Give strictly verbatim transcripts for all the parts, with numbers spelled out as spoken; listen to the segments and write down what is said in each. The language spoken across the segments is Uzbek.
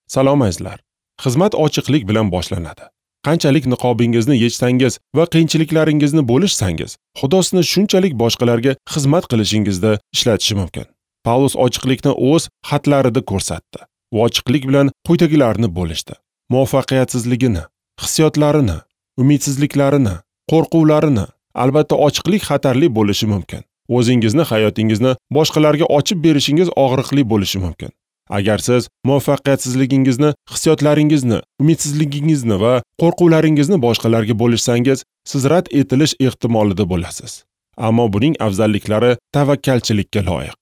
Salom azizlar. Xizmat ochiqlik bilan boshlanadi. Qanchalik niqobingizni yechsangiz va qiyinchiliklaringizni bo'lishsangiz, Xudo sizni shunchalik boshqalarga xizmat qilishingizda ishlatishi mumkin. Pavlus ochiqlikni o'z xatlarida ko'rsatdi. U ochiqlik bilan quyidagilarni bo'lishdi: muvaffaqiyatsizligini, hissiyotlarini, umidsizliklarini, qo'rquvlarini. Albatta ochiqlik xatarli bo'lishi mumkin. O'zingizni hayotingizni boshqalarga ochib berishingiz og'riqli bo'lishi mumkin. Agar siz muvaffaqiyatsizligingizni, hissiyotlaringizni, umidsizligingizni va qo'rquvlaringizni boshqalarga bo'lishsangiz, siz rad etilish ehtimolida bo'lasiz. Ammo buning afzalliklari tavakkalchilikka loyiq.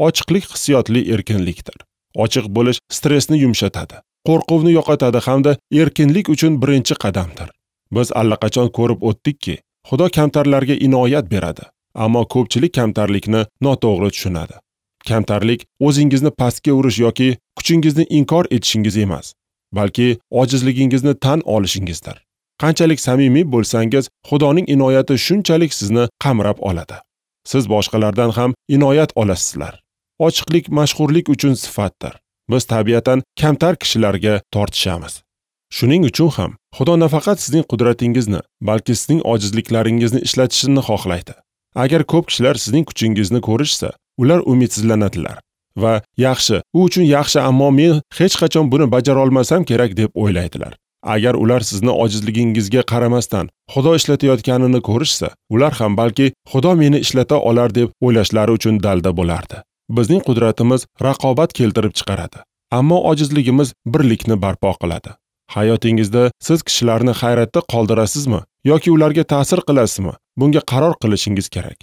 Ochiqlik hissiyotli erkinlikdir. Ochiq bo'lish stressni yumshatadi, qo'rquvni yo'qotadi hamda erkinlik uchun birinchi qadamdir. Biz allaqachon ko'rib o'tdikki, Xudo kamtarlarga inoyat beradi, ammo ko'pchilik kamtarlikni noto'g'ri tushunadi. Kamtarlik o'zingizni pastga urish yoki kuchingizni inkor etishingiz emas, balki ojizligingizni tan olishingizdir. Qanchalik samimiy bo'lsangiz, Xudoning inoyati shunchalik sizni qamrab oladi. Siz boshqalardan ham inoyat olasizlar. Ochiqlik mashhurlik uchun sifatdir. Biz tabiatan kamtar kishilarga tortishamiz. Shuning uchun ham Xudo nafaqat sizning qudratingizni, balki sizning ojizliklaringizni ishlatishini xohlaydi. Agar ko'p kishilar sizning kuchingizni ko'rishsa, ular umidsizlanadilar va yaxshi, u uchun yaxshi, ammo men hech qachon buni bajara olmasam kerak deb o'ylaydilar. Agar ular sizni ojizligingizga qaramasdan Xudo ishlatayotganini ko'rishsa, ular ham balki Xudo meni ishlata olar deb o'ylashlari uchun dalda bo'lardi. Bizning qudratimiz raqobat keltirib chiqaradi, ammo ojizligimiz birlikni barpo qiladi. Hayotingizda siz kishilarni hayratda qoldirasizmi yoki ularga ta'sir qilasizmi? Bunga qaror qilishingiz kerak.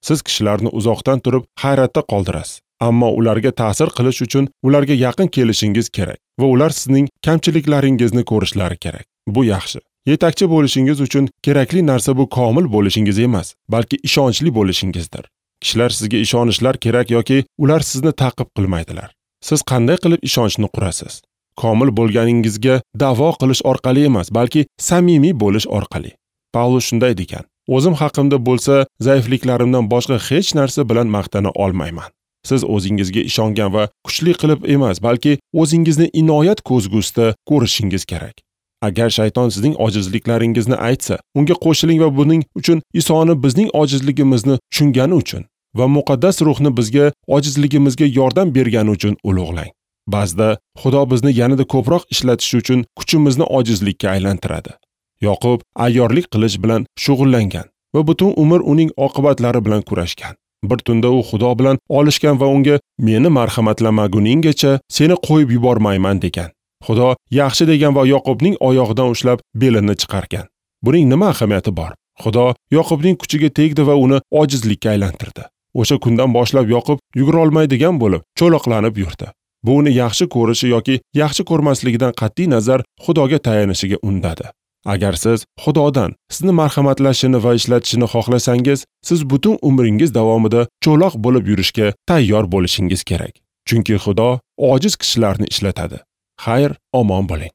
Siz kishilarni uzoqdan turib hayratda qoldirasiz, ammo ularga ta'sir qilish uchun ularga yaqin kelishingiz kerak va ular sizning kamchiliklaringizni ko'rishlari kerak. Bu yaxshi. Yetakchi bo'lishingiz uchun kerakli narsa bu komil bo'lishingiz emas, balki ishonchli bo'lishingizdir. Kishilar sizga ishonishlar kerak yoki ular sizni ta'qib qilmaydilar. Siz qanday qilib ishonchni qurasiz? Komil bo'lganingizga da'vo qilish orqali emas, balki samimiy bo'lish orqali. Pavlus shunday degan: o'zim haqimda bo'lsa, zaifliklarimdan boshqa hech narsa bilan maqtana olmayman. Siz o'zingizga ishongan va kuchli qilib emas, balki o'zingizni inoyat ko'zgusida ko'rishingiz kerak. Agar shayton sizning ojizliklaringizni aytsa, unga qo'shiling va buning uchun Isoni bizning ojizligimizni tushungani uchun va muqaddas ruhni bizga ojizligimizga yordam bergani uchun ulug'lang. Ba'zida Xudo bizni yanada ko'proq ishlatish uchun kuchimizni ojizlikka aylantiradi. Yoqub ayyorlik qilish bilan shug'ullangan va butun umr uning oqibatlari bilan kurashgan. Bir tunda u Xudo bilan olishgan va unga meni marhamatlamaguninggacha seni qo'yib yubormayman degan. Xudo yaxshi degan va Yoqubning oyog'idan ushlab belini chiqargan. Buning nima ahamiyati bor? Xudo Yoqubning kuchiga tegdi va uni ojizlikka aylantirdi. O'sha kundan boshlab Yoqub yugura olmaydigan bo'lib, cho'loqlanib yurdi. Bu uni yaxshi ko'rishi yoki yaxshi ko'rmasligidan qat'iy nazar Xudoga tayanishiga undadi. Agar siz Xudodan sizni marhamatlashini va ishlatishini xohlasangiz, siz butun umringiz davomida cho'loq bo'lib yurishga tayyor bo'lishingiz kerak. Chunki Xudo ojiz kishilarni ishlatadi. Xayr, omon bo'ling.